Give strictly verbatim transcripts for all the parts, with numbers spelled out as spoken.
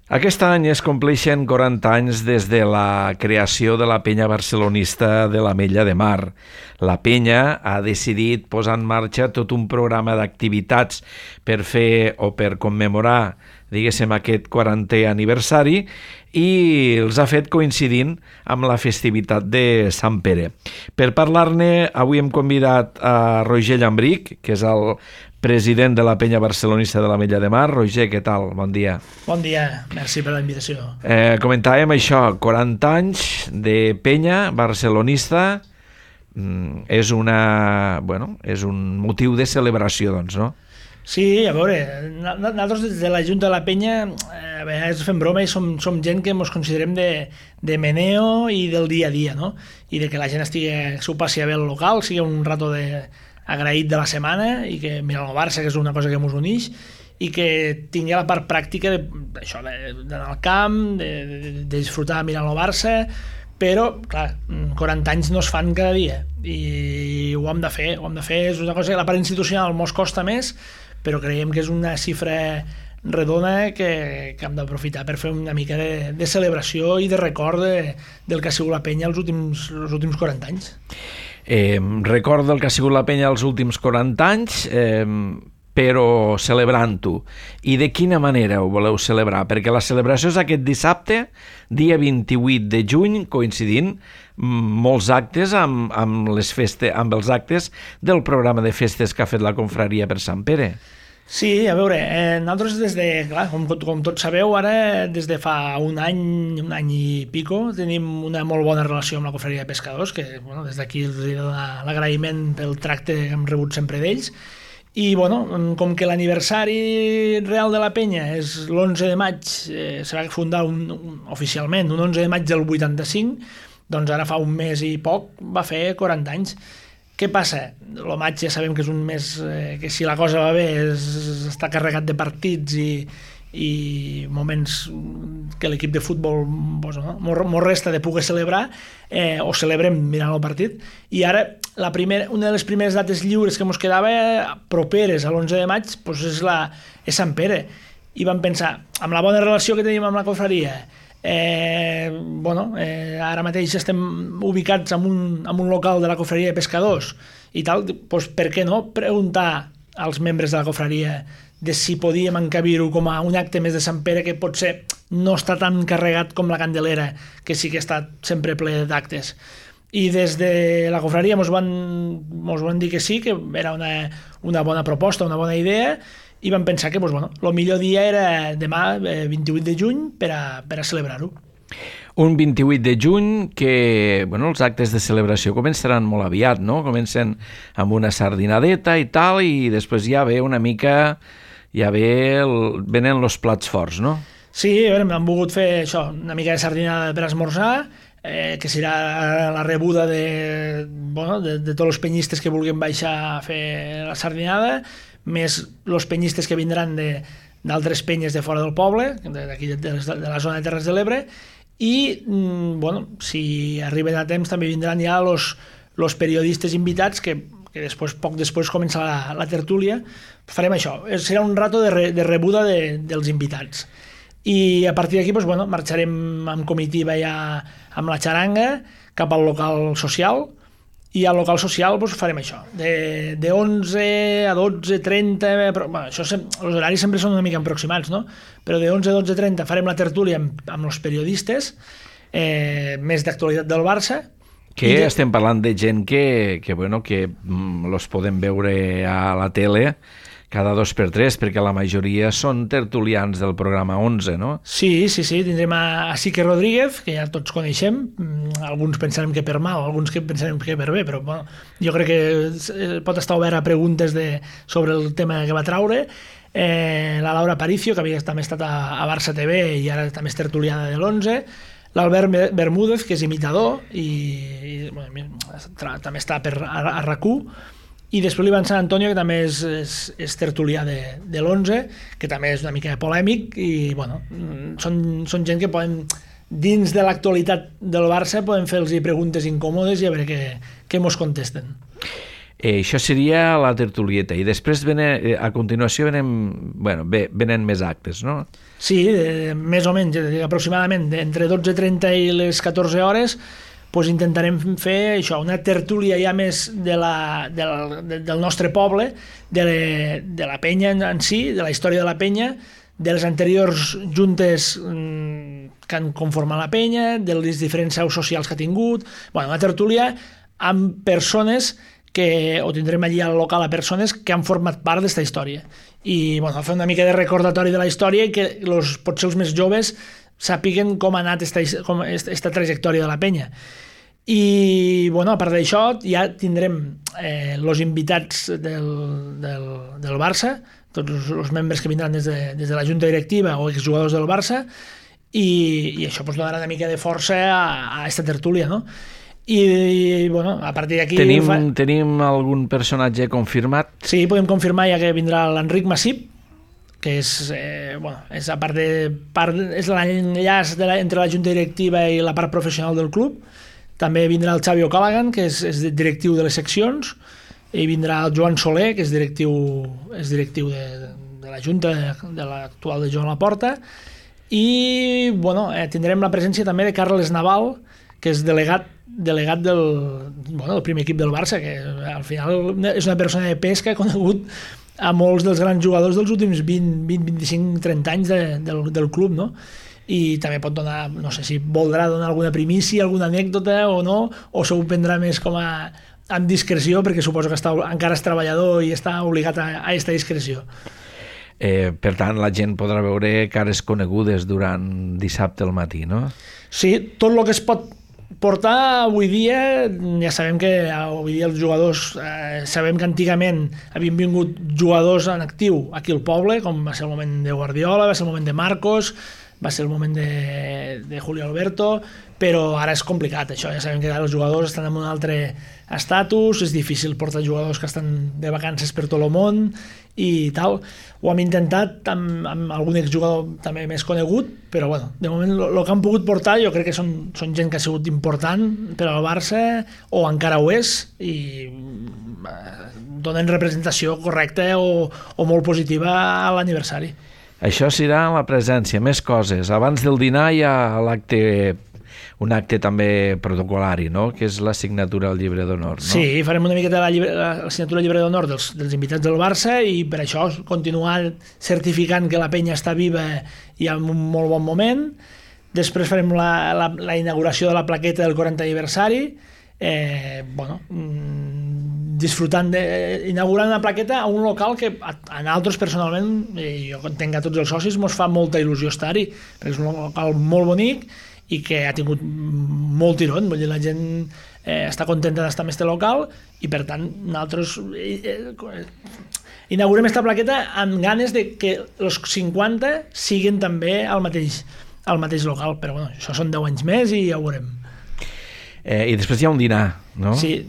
Aquest any es compleixen quaranta anys des de la creació de la penya barcelonista de l'Ametlla de Mar. La penya ha decidit posar en marxa tot un programa d'activitats per fer o per commemorar, diguéssim, aquest quarantè aniversari i els ha fet coincidint amb la festivitat de Sant Pere. Per parlar-ne, avui hem convidat a Roger Llambrich, que és el president de la penya barcelonista de l'Ametlla de Mar. Roger, què tal? Bon dia. Bon dia, merci per la invitació. Eh, comentàvem això, quaranta anys de penya barcelonista, mm, és una, bueno, és un motiu de celebració, doncs, no? Sí, a veure, nosaltres des de la Junta de la Penya a vegades fem broma i som, som gent que ens considerem de, de meneo i del dia a dia, no? I de que la gent estigui, s'ho passi a bé al local, sigui un rato de agraït de la setmana i que mira el Barça, que és una cosa que ens uneix, i que tingui la part pràctica d'això, d'anar al camp, de, de, de disfrutar mirant el Barça, però, clar, quaranta anys no es fan cada dia i ho hem de fer, ho hem de fer, és una cosa que la part institucional mos costa més, però creiem que és una xifra redona que, que hem d'aprofitar per fer una mica de, de celebració i de record de, del que ha sigut la penya els últims, els últims quaranta anys. Eh, record del que ha sigut la penya els últims quaranta anys, eh, però celebrant-ho. I de quina manera ho voleu celebrar? Perquè la celebració és aquest dissabte, dia vint-i-vuit de juny, coincidint molts actes amb, amb, les feste, amb els actes del programa de festes que ha fet la confraria per Sant Pere. Sí, a veure, eh, nosaltres des de, clar, com, com tots sabeu, ara des de fa un any, un any i pico, tenim una molt bona relació amb la confraria de pescadors, que bueno, des d'aquí els dono l'agraïment pel tracte que hem rebut sempre d'ells. I bueno, com que l'aniversari real de la penya és l'onze de maig, eh, se va fundar un, un, oficialment un onze de maig del vuitanta-cinc, doncs ara fa un mes i poc va fer quaranta anys. Què passa? El maig ja sabem que és un mes eh, que si la cosa va bé és, està carregat de partits i, i moments que l'equip de futbol pues, no, mos resta de poder celebrar eh, o celebrem mirant el partit. I ara la primera, una de les primeres dates lliures que ens quedava properes a l'onze de maig pues, és, la, és Sant Pere. I vam pensar, amb la bona relació que tenim amb la confraria, Eh, bueno, eh, ara mateix estem ubicats en un, en un local de la confraria de pescadors i tal, doncs per què no preguntar als membres de la confraria de si podíem encabir-ho com a un acte més de Sant Pere que potser no està tan carregat com la Candelera, que sí que està sempre ple d'actes. I des de la confraria ens van, ens van dir que sí, que era una, una bona proposta, una bona idea, i vam pensar que pues, bueno, el millor dia era demà, vint-i-vuit de juny, per a, per a celebrar-ho. Un vint-i-vuit de juny que bueno, els actes de celebració començaran molt aviat, no? Comencen amb una sardinadeta i tal, i després ja ve una mica, ja ve el, venen els plats forts, no? Sí, a veure, hem volgut fer això, una mica de sardinada per esmorzar, eh, que serà la rebuda de, bueno, de, de tots els penyistes que vulguin baixar a fer la sardinada, més els penyistes que vindran d'altres penyes de fora del poble, d'aquí de, de, de la zona de Terres de l'Ebre, i bueno, si arriben a temps també vindran ja els periodistes invitats que, que després, poc després comença la, la tertúlia. Farem això, serà un rato de, re, de rebuda de, dels invitats. I a partir d'aquí doncs, bueno, marxarem amb comitiva ja amb la xaranga cap al local social. I al local social doncs, farem això, de, de onze a dotze, trenta, però, bueno, això, els horaris sempre són una mica aproximats, no? Però de onze a dotze trenta farem la tertúlia amb, amb els periodistes, eh, més d'actualitat del Barça. Que de... estem parlant de gent que, que, bueno, que mm, los podem veure a la tele cada dos per tres, perquè la majoria són tertulians del programa onze, no? Sí, sí, sí, tindrem a, a Sique Rodríguez, que ja tots coneixem, alguns pensarem que per mal, alguns que pensarem que per bé, però bueno, jo crec que pot estar obert a preguntes de, sobre el tema que va traure. Eh, la Laura Aparicio, que havia també estat a, a Barça T V i ara també és tertuliana de l'onze, l'Albert Bermúdez, que és imitador i, i bueno, també està per, a, a RAC u, i després l'Ivan Sant Antonio, que també és, és, és tertulià de, de l'onze, que també és una mica polèmic, i bueno, són, són gent que poden, dins de l'actualitat del Barça, poden fer-los preguntes incòmodes i a veure què, què mos contesten. Eh, això seria la tertulieta. I després, venen, eh, a continuació, venen, bueno, bé, venen més actes, no? Sí, eh, més o menys, eh, aproximadament, entre dotze i trenta i les catorze hores, pues intentarem fer això, una tertúlia ja més de la, de la, de, del nostre poble, de, le, de la penya en, en si, de la història de la penya, de les anteriors juntes mm, que han conformat la penya, de les diferents seus socials que ha tingut, bueno, una tertúlia amb persones que, o tindrem allí al local a persones que han format part d'esta història. I bueno, fer una mica de recordatori de la història i que los, potser els més joves sàpiguen com ha anat esta, com, esta, esta trajectòria de la penya. I bueno, a part d'això ja tindrem eh, els invitats del, del, del Barça, tots els membres que vindran des de, des de la junta directiva o exjugadors del Barça, i, i això pues, donarà una mica de força a, a esta tertúlia, no? I, i bueno, a partir d'aquí... Tenim, fa... tenim algun personatge confirmat? Sí, podem confirmar ja que vindrà l'Enric Massip, que és, eh, bueno, és, a part de, part, és l'enllaç de la, entre la junta directiva i la part professional del club. També vindrà el Xavi O'Callaghan, que és, és directiu de les seccions, i vindrà el Joan Soler, que és directiu, és directiu de, de la junta de, de l'actual de Joan Laporta, i bueno, eh, tindrem la presència també de Carles Naval, que és delegat, delegat del, bueno, del primer equip del Barça, que al final és una persona de pes que ha conegut a molts dels grans jugadors dels últims vint, vint, vint-i-cinc, trenta anys de, del, del club, no? I també pot donar, no sé si voldrà donar alguna primícia, alguna anècdota o no, o s'ho prendrà més com a amb discreció, perquè suposo que està, encara és treballador i està obligat a, a aquesta discreció. Eh, per tant, la gent podrà veure cares conegudes durant dissabte al matí, no? Sí, tot el que es pot portar avui dia, ja sabem que avui dia els jugadors, eh, sabem que antigament havien vingut jugadors en actiu aquí al poble, com va ser el moment de Guardiola, va ser el moment de Marcos, va ser el moment de, de Julio Alberto, però ara és complicat això, ja sabem que els jugadors estan en un altre estatus, és difícil portar jugadors que estan de vacances per tot el món i tal. Ho hem intentat amb, amb algun exjugador també més conegut, però bueno, de moment el que han pogut portar jo crec que són, són gent que ha sigut important per al Barça, o encara ho és, i donen representació correcta o, o molt positiva a l'aniversari. Això serà la presència, més coses. Abans del dinar hi ha l'acte, un acte també protocolari, no? Que és la signatura al llibre d'honor, no? Sí, farem una miqueta la, llibre, la signatura al llibre d'honor dels, dels invitats del Barça, i per això continuar certificant que la penya està viva i en un molt bon moment. Després farem la, la, la inauguració de la plaqueta del quaranta aniversari, eh, bueno, disfrutant de, inaugurant una plaqueta a un local que a, a nosaltres personalment, eh, jo entenc a tots els socis, mos fa molta il·lusió estar-hi, perquè és un local molt bonic i que ha tingut molt tirón, vull dir, la gent eh, està contenta d'estar en este local, i per tant nosaltres eh, eh, inaugurem esta plaqueta amb ganes de que els cinquanta siguin també al mateix, al mateix local, però bueno, això són deu anys més i ja ho veurem. Eh, I després hi ha un dinar, no? Sí,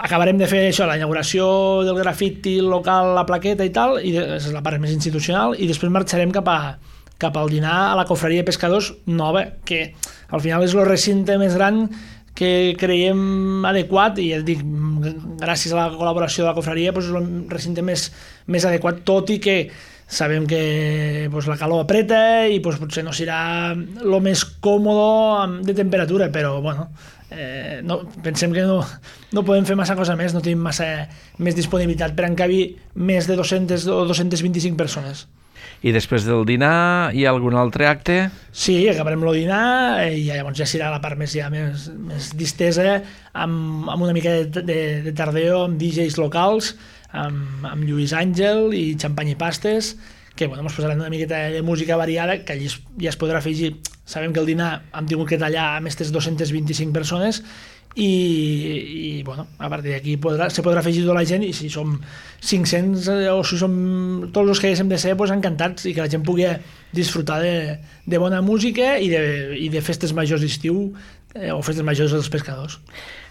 acabarem de fer això, la inauguració del grafiti local, la plaqueta i tal, i és la part més institucional, i després marxarem cap a cap al dinar a la cofreria de pescadors nova, que al final és el recinte més gran que creiem adequat, i ja dic, gràcies a la col·laboració de la cofreria, doncs és el recinte més, més adequat, tot i que sabem que doncs, la calor apreta i doncs, potser no serà el més còmode de temperatura, però bueno, eh, no, pensem que no, no podem fer massa cosa més, no tenim massa més disponibilitat per encabir més de dos-centes o dos-centes vint-i-cinc persones. I després del dinar hi ha algun altre acte? Sí, acabarem el dinar i llavors ja serà la part més, ja, més, més distesa, amb, amb una mica de, de, de tardeo, amb D Js locals, amb, amb Lluís Àngel i xampany i pastes, que bueno, ens posaran una miqueta de música variada, que allí ja es podrà afegir. Sabem que el dinar hem tingut que tallar amb aquestes dos-centes vint-i-cinc persones, i, i bueno, a partir d'aquí podrà, se podrà afegir tota la gent, i si som cinc-cents o si som tots els que haguéssim de ser, pues, encantats, i que la gent pugui disfrutar de, de bona música i de, i de festes majors d'estiu eh, o festes majors dels pescadors.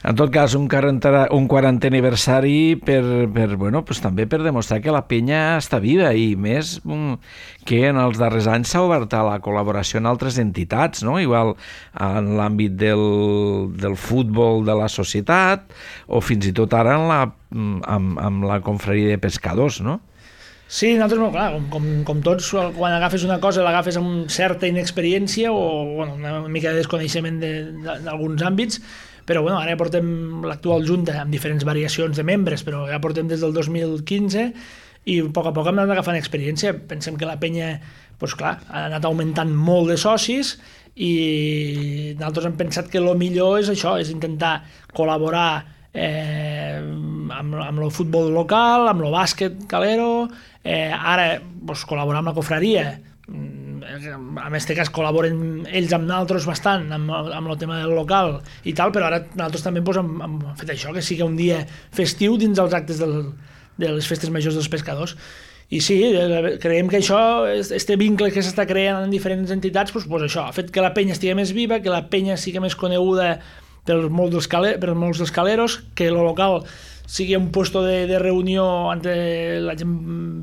En tot cas, un quaranta, un quarantè aniversari per, per, bueno, pues també per demostrar que la penya està viva i més que en els darrers anys s'ha obert a la col·laboració en altres entitats, no? Igual en l'àmbit del, del futbol de la societat o fins i tot ara en la, amb, amb la confraria de pescadors, no? Sí, nosaltres, clar, com, com, com tots, quan agafes una cosa l'agafes amb certa inexperiència o bueno, una mica de desconeixement d'alguns àmbits, però bueno, ara ja portem l'actual junta amb diferents variacions de membres, però ja portem des del dos mil quinze i a poc a poc hem anat agafant experiència. Pensem que la penya, doncs clar, ha anat augmentant molt de socis i nosaltres hem pensat que el millor és això, és intentar col·laborar eh, amb, amb el futbol local, amb el bàsquet calero, eh, ara doncs, col·laborar amb la cofraria. En aquest cas col·laboren ells amb nosaltres bastant amb, amb el tema del local i tal, però ara nosaltres també pues, hem, hem fet això, que sigui un dia festiu dins els actes del, de les festes majors dels pescadors. I sí, creiem que això, este vincle que s'està creant en diferents entitats, pues, pues això, ha fet que la penya estigui més viva, que la penya sigui més coneguda per molts dels, cale, per molts dels caleros, que el local sigui un puesto de, de reunió on la gent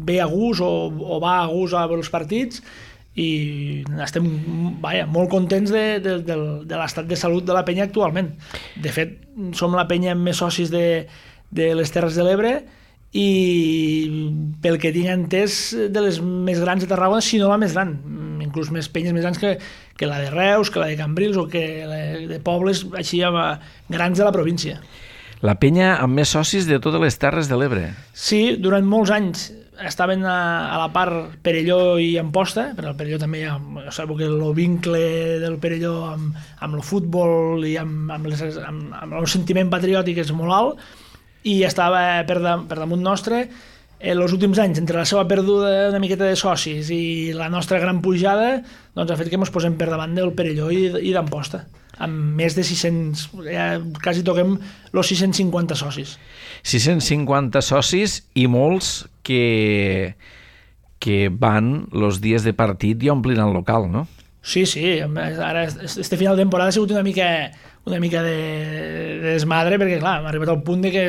ve a gust o, o va a gust a veure els partits i estem vaja, molt contents de, de, de, de l'estat de salut de la penya actualment. De fet, som la penya amb més socis de, de les Terres de l'Ebre i pel que tinc entès de les més grans de Tarragona, si no la més gran, inclús més penyes més grans que, que la de Reus, que la de Cambrils o que la de pobles així grans de la província. La penya amb més socis de totes les Terres de l'Ebre. Sí, durant molts anys estaven a, a la part Perelló i Amposta, però al Perelló també hi ha, sabeu que el vincle del Perelló amb, amb el futbol i amb, amb, les, amb, amb el sentiment patriòtic és molt alt, i estava per, da, per damunt nostre. En els últims anys, entre la seva perduda una miqueta de socis i la nostra gran pujada, doncs ha fet que ens posem per davant del Perelló i, i d'Amposta, amb més de sis-cents, ja quasi toquem els sis-cents cinquanta socis. sis-cents cinquanta socis i molts que, que van els dies de partit i omplin el local, no? Sí, sí, ara este final de temporada ha sigut una mica, una mica de, de desmadre, perquè clar, hem arribat al punt de que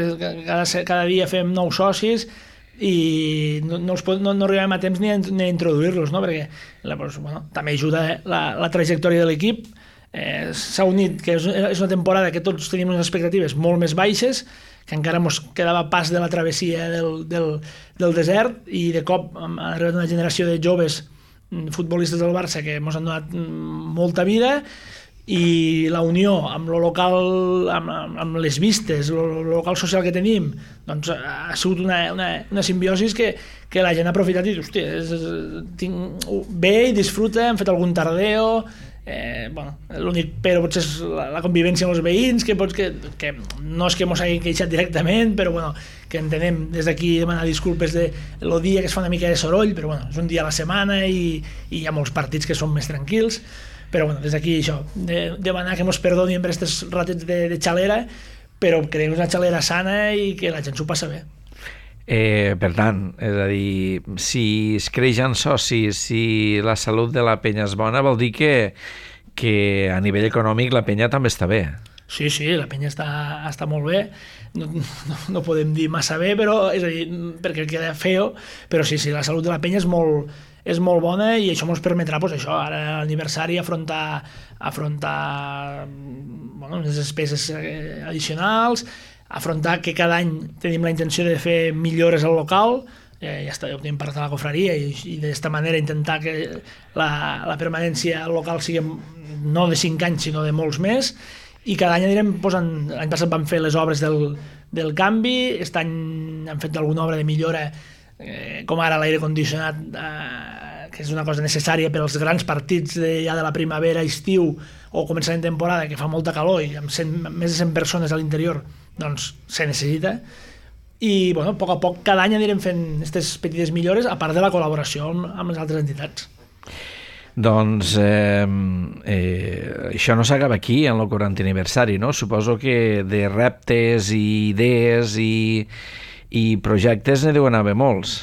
cada, cada dia fem nous socis i no, no, els, no, no arribem a temps ni a, ni a introduir-los, no? Perquè doncs, bueno, també ajuda la, la trajectòria de l'equip. Eh, s'ha unit, que és, és una temporada que tots tenim unes expectatives molt més baixes, que encara ens quedava pas de la travessia del, del, del desert, i de cop ha arribat una generació de joves futbolistes del Barça que ens han donat molta vida, i la unió amb el local, amb, amb les vistes, el local social que tenim, doncs ha sigut una, una, una simbiosi que, que la gent ha aprofitat i hòstia, és, tinc, ve i disfruta, hem fet algun tardeo. Eh, bueno, l'únic però potser és la, la convivència amb els veïns, que, pots, que, que no és que mos hagin queixat directament, però bueno, que entenem des d'aquí demanar disculpes de el dia que es fa una mica de soroll, però bueno, és un dia a la setmana i, i hi ha molts partits que són més tranquils, però bueno, des d'aquí això, de, demanar que mos perdoni per aquests ratets de, de xalera, però creiem una xalera sana i que la gent s'ho passa bé. Eh, per tant, és a dir, si es creixen socis, si la salut de la penya és bona, vol dir que, que a nivell econòmic la penya també està bé. Sí, sí, la penya està, està molt bé, no, no, no podem dir massa bé, però és a dir, perquè queda feo, però sí, sí, la salut de la penya és molt, és molt bona i això ens permetrà, doncs això, ara a l'aniversari afrontar, afrontar bueno, unes despeses addicionals, afrontar que cada any tenim la intenció de fer millores al local, eh, ja està, ja ho tenim part de la cofraria, i, i d'esta manera intentar que la, la permanència al local sigui no de cinc anys sinó de molts més, i cada any anirem posant, l'any passat vam fer les obres del, del canvi, aquest any hem fet alguna obra de millora, eh, com ara l'aire condicionat, eh, que és una cosa necessària per als grans partits de, ja de la primavera, estiu o començament de temporada, que fa molta calor i amb cent, més de cent persones a l'interior, doncs se necessita. I bueno, a poc a poc cada any anirem fent aquestes petites millores, a part de la col·laboració amb, amb les altres entitats. Doncs eh, eh, això no s'acaba aquí en el quarantè aniversari, no? Suposo que de reptes i idees i, i projectes n'hi deuen haver molts.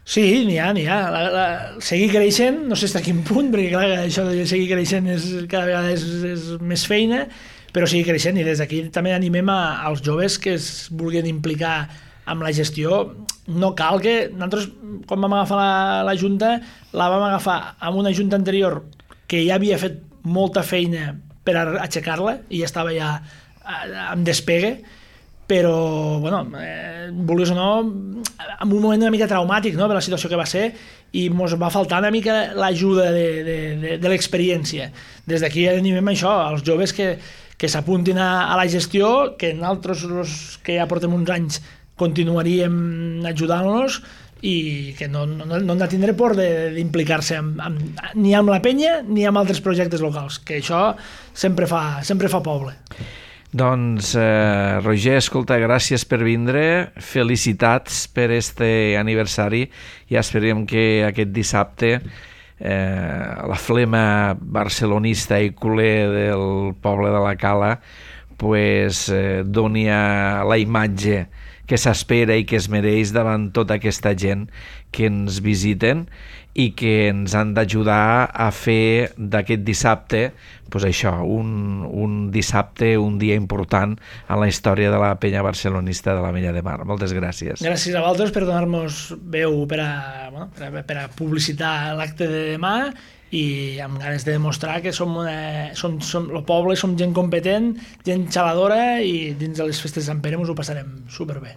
Sí, n'hi ha, n'hi ha. La, la, seguir creixent, no sé fins a quin punt, perquè clar, això de seguir creixent és, cada vegada és, és més feina, però sigui creixent, i des d'aquí també animem a, als joves que es vulguin implicar amb la gestió. No cal que... Nosaltres, quan vam agafar la, la Junta, la vam agafar amb una Junta anterior que ja havia fet molta feina per aixecar-la i ja estava ja en despegue, però, bueno, eh, vulguis o no, en un moment una mica traumàtic, no?, per la situació que va ser, i ens va faltar una mica l'ajuda de, de, de, de l'experiència. Des d'aquí animem això, als joves que, que s'apuntin a, a la gestió, que nosaltres, els que ja portem uns anys, continuaríem ajudant-los i que no, no, no han de tindre por d'implicar-se amb, amb, ni amb la penya ni amb altres projectes locals, que això sempre fa, sempre fa poble. Doncs, eh, Roger, escolta, gràcies per vindre, felicitats per este aniversari i esperem que aquest dissabte eh, la flema barcelonista i culer del poble de la Cala pues, eh, doni a la imatge que s'espera i que es mereix davant tota aquesta gent que ens visiten i que ens han d'ajudar a fer d'aquest dissabte pues això, un, un dissabte, un dia important en la història de la penya barcelonista de l'Ametlla de Mar. Moltes gràcies. Gràcies a vosaltres per donar-nos veu per a, bueno, per a, per a publicitar l'acte de demà i amb ganes de demostrar que som, una, som, som el poble, som gent competent, gent xaladora i dins de les festes de Sant Pere ens ho passarem superbé.